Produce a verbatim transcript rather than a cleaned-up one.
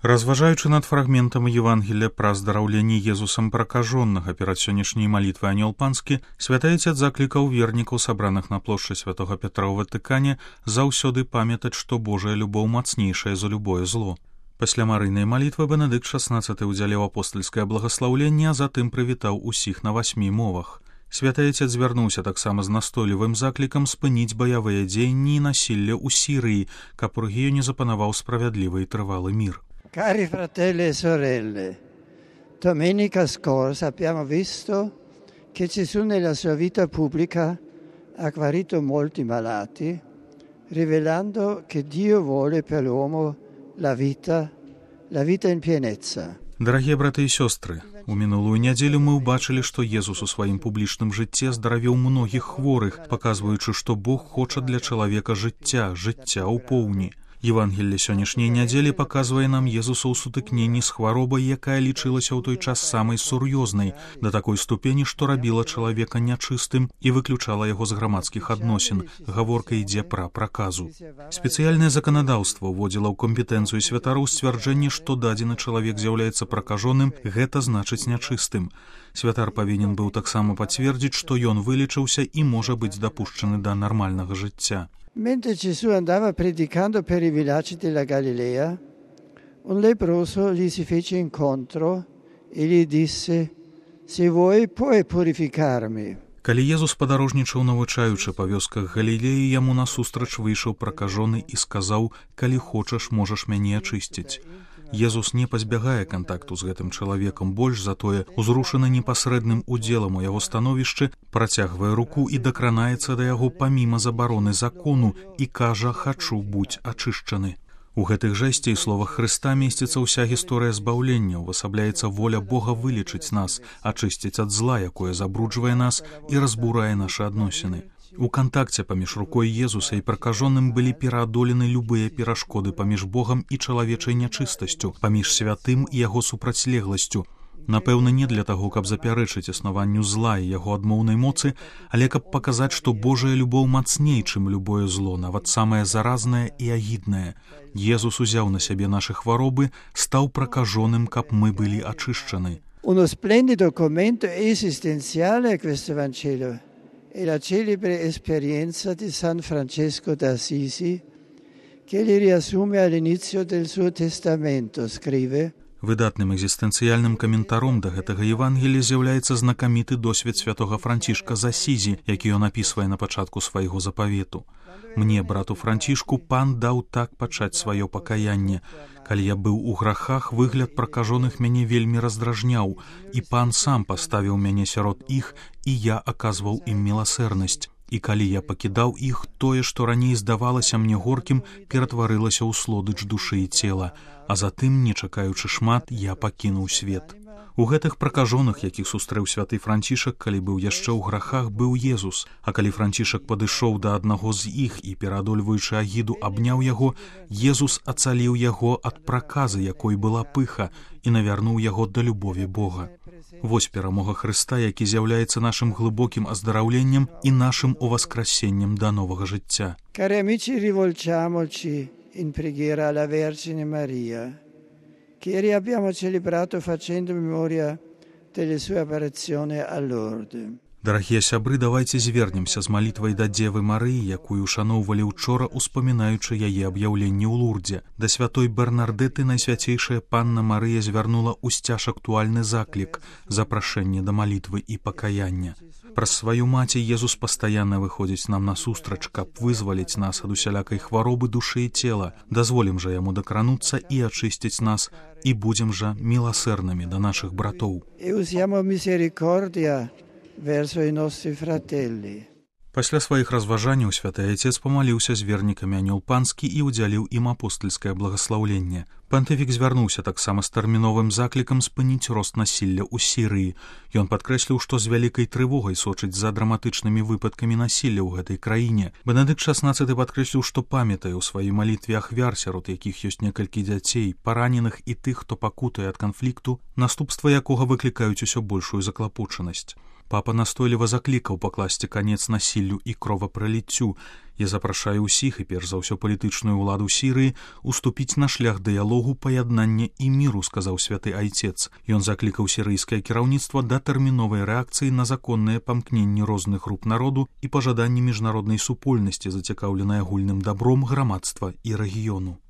Разважаючы над фрагментам Евангелия пра здараўленне Езусам пракажоннага перад сённяшняй малітвай анёл панскі, святы Айцец заклікаў вернікаў, сабраных на плошчы святога Пятра ў Ватыкане, заўсёды памятаць, што Божая любоў мацнейшая за любое зло. Пасля марыйнай малітвы Бенедыкт шаснаццаты ўдзяліў апостальскае благаслаўленне, а затым прывітаў усіх на васьмі мовах. Святы Айцец звярнуўся таксама з настойлівым заклікам спыніць баявыя дзеянні і насілля ў Сірыі, каб у рэгіёне запанаваў справядлівы і трывалы мір. Cari fratelli e sorelle, domenica scorsa abbiamo visto che Gesù nella sua vita pubblica ha guarito molti malati, rivelando che Dio vuole per l'uomo la vita, la vita in pienezza. Дарагія браты і сёстры, у мінулую нядзелю мы ўбачылі, што Езус у сваім публічным жыцці здаравіў многіх хворых, паказваючы, што Бог хоча для чалавека жыцця, жыцця ў поўні. Евангелле сённяшняй нядзелі паказвае нам Езуса ў сутыкненні з хваробай, якая лічылася ў той час самай сур'ёзнай, да такой ступені, што рабіла чалавека нячыстым і выключала яго з грамадскіх адносін. Гаворка ідзе пра праказу. Спецыяльнае заканадаўства ўводзіла ў кампетэнцыю святароў сцвярджэнне, што дадзены чалавек з'яўляецца пракажоным, гэта значыць нячыстым. Святар павінен быў таксама пацвердзіць, што ён вылечыўся і можа быць дапушчаны да нармальнага жыцця. Mentre Gesù andava predicando per i villaggi della Galilea, un leproso gli si fece incontro e gli disse: «Se vuoi puoi purificarmi». Калі Езус падарожнічаў, навучаючы па вёсках Галілеі, яму насустрач выйшаў пракажоны і сказаў: «Калі хочаш, можаш мяне ачысціць». Езус не пазбягае кантакту з гэтым чалавекам, больш затое, узрушаны непасрэдным удзелам у яго становішчы, працягвае руку і дакранаецца да яго паміма забароны закону і кажа: «Хачу будь ачышчаны». У гэтых жэсце і словах Хрыста месціцца ўся гісторыя збаўлення, увасабляецца воля Бога вылечыць нас, ачысціць ад зла, якое забруджвае нас і разбурае нашы адносіны. У кантакце паміж рукой Езуса і пракажоным былі пераадолены любыя перашкоды паміж Богам і чалавечай нячыстасцю, паміж святым і яго супрацьлегласцю. Напэўна, не для таго, каб запярэчыць існаванню зла і яго адмоўнай моцы, але каб паказаць, што Божая любоў мацней, чым любое зло, нават самае заразнае і агіднае. Езус узяў на сябе нашы хваробы, стаў пракажоным, каб мы былі ачышчаны. Uno splendido commento esistenziale a questo Vangelo è la celebre esperienza di San Francesco d'Assisi, che li riassume all'inizio del suo testamento, scrive: Выдатным экзістэнцыяльным каментаром да гэтага Евангелія з'яўляецца знакаміты досвед святога Францішка з Асізі, які ён апісвае на пачатку свайго запавету. «Мне, брату Францішку, пан даў так пачаць сваё пакаянне. Калі я быў у грахах, выгляд пракажоных мяне вельмі раздражняў, і пан сам паставіў мяне сярод іх, і я аказваў ім міласэрнасць. І калі я пакідаў іх, тое, што раней здавалася мне горкім, ператварылася ў слодыч душы і цела, а затым, не чакаючы шмат, я пакінуў свет». У гэтых пракажоных, якіх сустрэў святы Францішак, калі быў яшчэ ў грахах, быў Езус, а калі Францішак падышоў да аднаго з іх і, пераадольваючы агіду, абняў яго, Езус ацаліў яго ад праказы, якой была пыха, і навярнуў яго да любові Бога. Вось перамога Хрыста, які з'яўляецца нашым глыбокім аздараўленнем і нашым уваскрасеннем да новага жыцця. Cari amici, rivolgiamoci in preghiera alla Vergine Maria, che ieri abbiamo celebrato facendo memoria delle sue apparizioni a Lourdes. Дарагія сябры, давайце звернемся з малітвай да Дзевы Марыі, якую ушаноўвалі ўчора, успамінаючы яе аб'яўленне ў Лурдзе. Да святой Бернардэты найсвяцейшая панна Марыя звярнула ўсцяж актуальны заклік, запрашэнне да малітвы і пакаяння. Праз сваю маці Езус пастаянна выходзіць нам насустрач, каб вызваліць нас ад усялякай хваробы душы і цела. Дазволім жа яму дакрануцца і ачысціць нас, і будзем жа міласэрнымі да нашых братоў. E usiamo misericordia verso i nostri fratelli. Пасля сваіх разважанняў святы Айцец памаліўся з вернікамі анёл панскі і ўдзяліў ім апостальскае благаслаўленне. Пантыфік звярнуўся таксама з тэрміновым заклікам спыніць рост насілля ў Сірыі. Ён падкрэсліў, што з вялікай трывогай сочыць за драматычнымі выпадкамі насілля ў гэтай краіне. Бенедыкт шаснаццаты падкрэсліў, што памятае ў сваёй малітве ахвяр, сярод якіх ёсць некалькі дзяцей, параненых і тых, хто пакутае ад канфлікту, наступства якога выклікаюць усё большую заклапочанасць. Папа настойліва заклікаў пакласці канец насіллю і кровапраліццю. Я запрашаю ўсіх, і перш за ўсё палітычную ўладу Сірыі, уступіць на шлях дыялогу, паяднання і міру, сказаў святы айцец. Ён заклікаў сірыйскае кіраўніцтва да тэрміновай рэакцыі на законныя памкненні розных груп народу і пажаданні міжнароднай супольнасці, зацікаўленай агульным дабром грамадства і рэгіёну.